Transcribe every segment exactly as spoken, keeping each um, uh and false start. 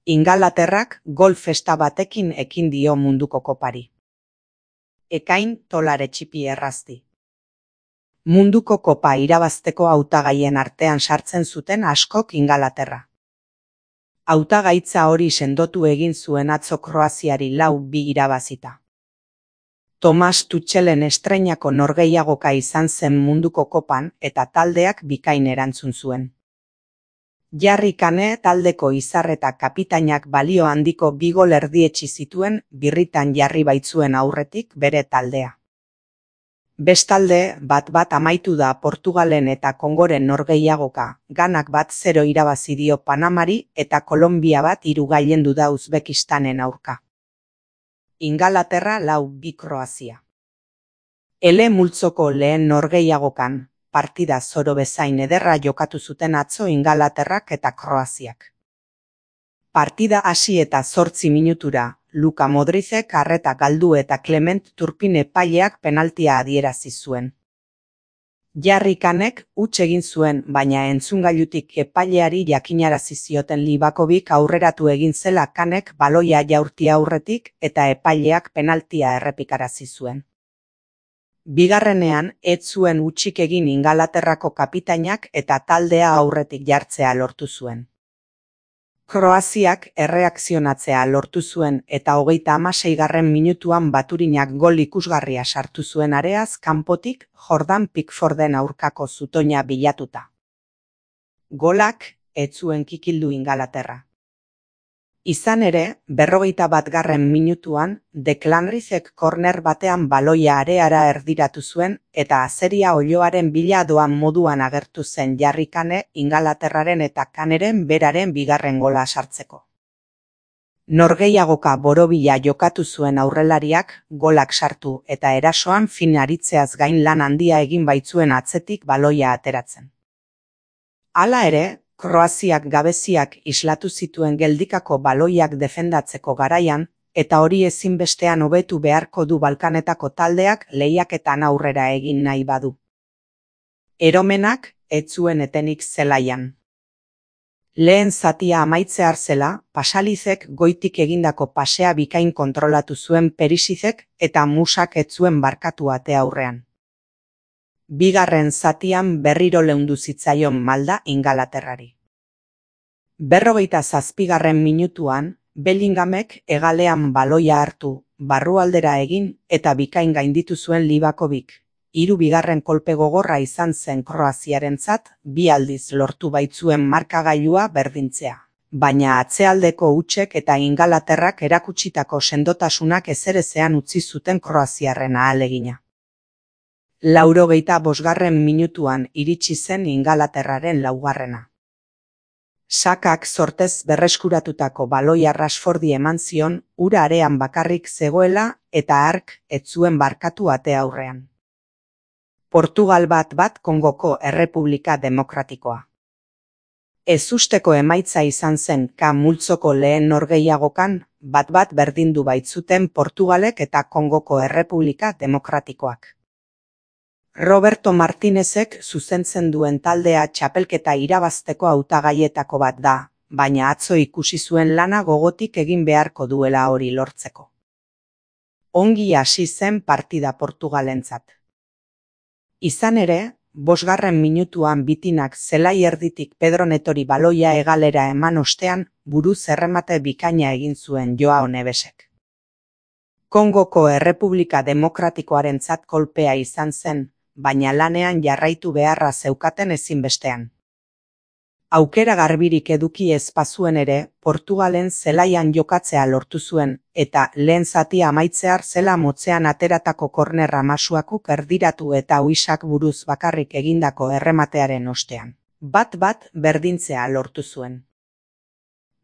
Ingalaterrak gol festa batekin ekin dio munduko kopari. Ekain tolare txipi errazti. Munduko kopa irabazteko hautagaien artean sartzen zuten askok Ingalaterra. Hautagaitza hori sendotu egin zuen atzo Kroaziari lau bi irabazita. Tomas Tuchelen estreinako norgehiagoka izan zen munduko kopan eta taldeak bikain erantzun zuen. Jarri Kane taldeko izar eta kapitainak balio handiko bi gol erdietsi zituen birritan jarri baitzuen aurretik bere taldea. Bestalde, bat bat amaitu da Portugalen eta Kongoren norgehiagoka, Ganak bat zero irabazi dio Panamari eta Kolonbia bat hiru gailendu da Uzbekistanen aurka. Ingalaterra lau bi Kroazia. Ele multzoko lehen norgehiagokan, partida zoro bezain ederra jokatu zuten atzo Ingalaterrak eta Kroaziak. Partida hasi eta zortzi minutura, Luka Modricek arreta galdu eta Clement Turpin epaileak penaltia adierazi zuen. Jarri Kanek huts egin zuen, baina entzungailutik epaileari jakinarazi zioten Livakovic aurreratu egin zela Kanek baloia jaurti aurretik eta epaileak penaltia errepikarazi zuen. Bigarrenean, ez zuen hutsik egin Ingalaterrako kapitainak eta taldea aurretik jartzea lortu zuen. Kroaziak erreakzionatzea lortu zuen eta hogeita hamaseigarren minutuan Baturinak gol ikusgarria sartu zuen areaz kanpotik Jordan Pickforden aurkako zutoina bilatuta. Golak ez zuen kikildu Ingalaterra. Izan ere, berrogeita batgarren minutuan, Declan Rice-ek korner batean baloia areara erdiratu zuen eta azeria oiloaren bila doan moduan agertu zen Jarri Kane Ingalaterraren eta Kaneren beraren bigarren gola sartzeko. Norgehiagoka borobila jokatu zuen aurrelariak golak sartu eta erasoan fin aritzeaz gain lan handia egin baitzuen atzetik baloia ateratzen. Hala ere, Kroaziak gabeziak islatu zituen geldikako baloiak defendatzeko garaian, eta hori ezinbestean hobetu beharko du Balkanetako taldeak lehiaketan aurrera egin nahi badu. Eromenak ez zuen etenik zelaian. Lehen zatia amaitzear zela, Pasalizek goitik egindako pasea bikain kontrolatu zuen Perisicek eta Musak ez zuen barkatu ate aurrean. Bigarren zatian berriro leundu zitzaion malda Ingalaterrari. Berrogeita zazpigarren minutuan, Bellinghamek hegalean baloia hartu, barrualdera egin eta bikain gainditu zuen Livakovic. Hiru bigarren kolpe gogorra izan zen Kroaziarentzat, bi aldiz lortu baitzuen markagailua berdintzea. Baina atzealdeko hutsek eta Ingalaterrak erakutsitako sendotasunak ezerezean utzi zuten Kroaziarren ahalegina. Laurogeita bosgarren minutuan iritsi zen Ingalaterraren laugarrena. Sakak sortez berreskuratutako baloia Rashfordi eman zion, ura arean bakarrik zegoela eta hark ez zuen barkatu ate aurrean. Portugal bat bat Kongoko Errepublika Demokratikoa. Ezusteko emaitza izan zen K multzoko lehen norgehiagokan, bat bat berdindu baitzuten Portugalek eta Kongoko Errepublika Demokratikoak. Roberto Martinezek zuzentzen duen taldea txapelketa irabazteko hautagaietako bat da, baina atzo ikusi zuen lana gogotik egin beharko duela hori lortzeko. Ongi hasi zen partida Portugalentzat. Izan ere, bosgarren minutuan bitinak zelai erditik Pedro Netori baloia hegalera eman ostean, buruz erremate bikaina egin zuen Joao Nevesek. Kongoko Errepublika Demokratikoarentzat kolpea izan zen, baina lanean jarraitu beharra zeukaten ezinbestean. Aukera garbirik eduki ez bazuen ere, Portugalen zelaian jokatzea lortu zuen, eta lehen zatia amaitzear zela motzean ateratako kornerra Masuakuk erdiratu eta uisak buruz bakarrik egindako errematearen ostean. Bat bat berdintzea lortu zuen.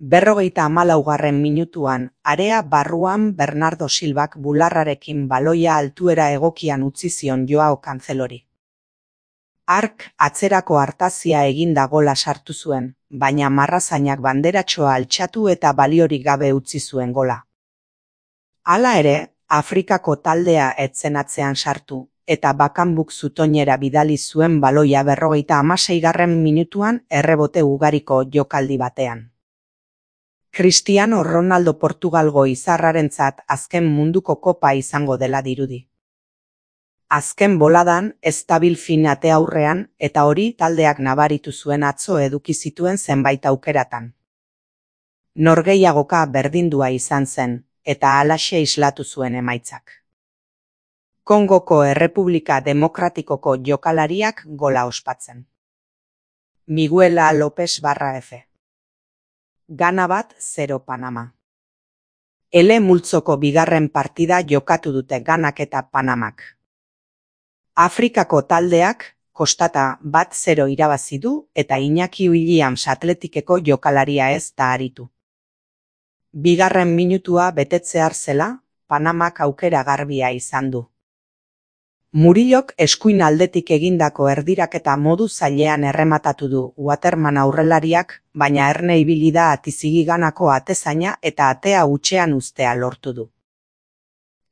Berrogeita hamalaugarren minutuan, area barruan Bernardo Silvak bularrarekin baloia altuera egokian utzi zion Joao Cancelori. Hark atzerako hartazia eginda gola sartu zuen, baina marrazainak banderatxoa altxatu eta baliorik gabe utzi zuen gola. Hala ere, Afrikako taldea ez zen atzean sartu, eta bakanbuk zutoinera bidali zuen baloia berrogeita hamaseigarren minutuan errebote ugariko jokaldi batean. Cristiano Ronaldo Portugalgo izarrarentzat azken munduko kopa izango dela dirudi. Azken boladan ez dabil fin ate aurrean eta hori taldeak nabaritu zuen atzo eduki zituen zenbait aukeratan. Norgehiagoka berdindua izan zen eta halaxe islatu zuen emaitzak. Kongoko Errepublika Demokratikoko jokalariak gola ospatzen. Miguela López barra F. Gana bat zero Panama. Ele multzoko bigarren partida jokatu dute Ganak eta Panamak. Afrikako taldeak kostata bat zero irabazi du eta Iñaki Williams Atletikeko jokalaria ez da aritu. Bigarren minutua betetzear zela, Panamak aukera garbia izan du. Murillok eskuin aldetik egindako erdiraketa modu zailean errematatu du Waterman aurrelariak, baina erne ibili da atizigi Ganako atezaina eta atea hutsean uztea lortu du.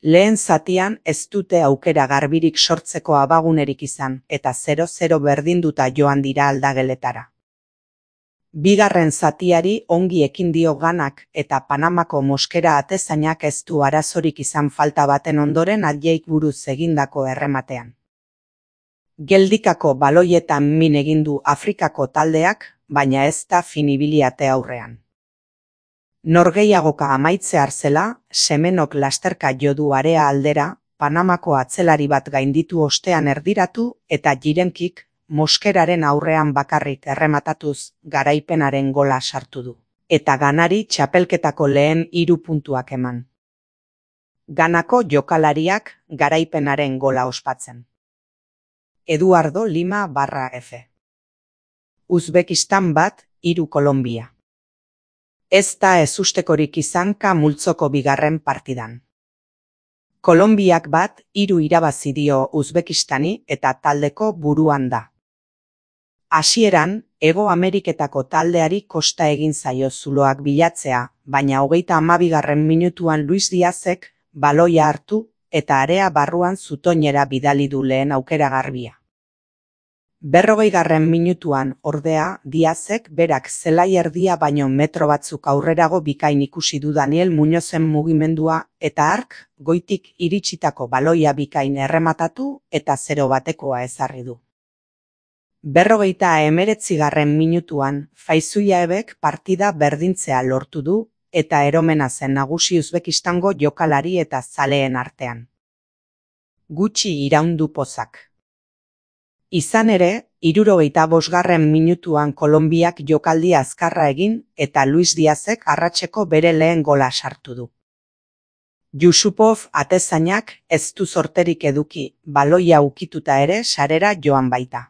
Lehen zatian ez dute aukera garbirik sortzeko abagunerik izan eta zero zero berdinduta joan dira aldageletara. Bigarren zatiari ongi ekin dio Ganak eta Panamako moskera atezainak ez du arazorik izan falta baten ondoren adjeik buruz egindako errematean. Geldikako baloietan min egin du Afrikako taldeak, baina ez da finibili ate aurrean. Norgehiagoka amaitzear zela, Semenok lasterka jo du area aldera, Panamako atzelari bat gainditu ostean erdiratu eta Jirenkik moskeraren aurrean bakarrik errematatuz garaipenaren gola sartu du. Eta Ganari txapelketako lehen hiru puntuak eman. Ganako jokalariak garaipenaren gola ospatzen. Eduardo Lima barra F. Uzbekistan bat, hiru Kolombia. Ez da ezustekorik izanka multzoko bigarren partidan. Kolonbiak bat, hiru irabazi dio Uzbekistani eta taldeko buruan da. Hasieran, Hego Ameriketako taldeari kosta egin zaio zuloak bilatzea, baina hogeita hamabigarren minutuan Luis Diazek baloia hartu eta area barruan zutoinera bidali du lehen aukera garbia. Berrogeigarren minutuan, ordea, Diazek berak zelai erdia baino metro batzuk aurrerago bikain ikusi du Daniel Muñozen mugimendua eta hark goitik iritsitako baloia bikain errematatu eta zero batekoa ezarri du. Berrogeita hemeretzigarren minutuan, Faizullaebek partida berdintzea lortu du eta eromena zen nagusi Uzbekistango jokalari eta zaleen artean. Gutxi iraundu pozak. Izan ere, hirurogeita bosgarren minutuan Kolonbiak jokaldi azkarra egin eta Luis Diazek arratseko bere lehen gola sartu du. Yusupov atezainak ez du sorterik eduki, baloia ukituta ere sarera joan baita.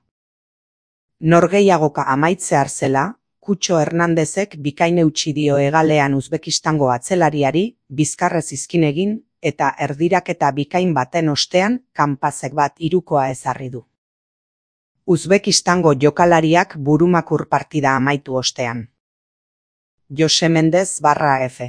Norgehiagoka amaitzear zela, Kutxo Hernandezek bikain eutsi dio hegalean Uzbekistango atzelariari, bizkarrez izkin egin eta erdiraketa bikain baten ostean kanpazek bat hirukoa ezarri du. Uzbekistango jokalariak burumakur partida amaitu ostean. Jose Mendez barra F.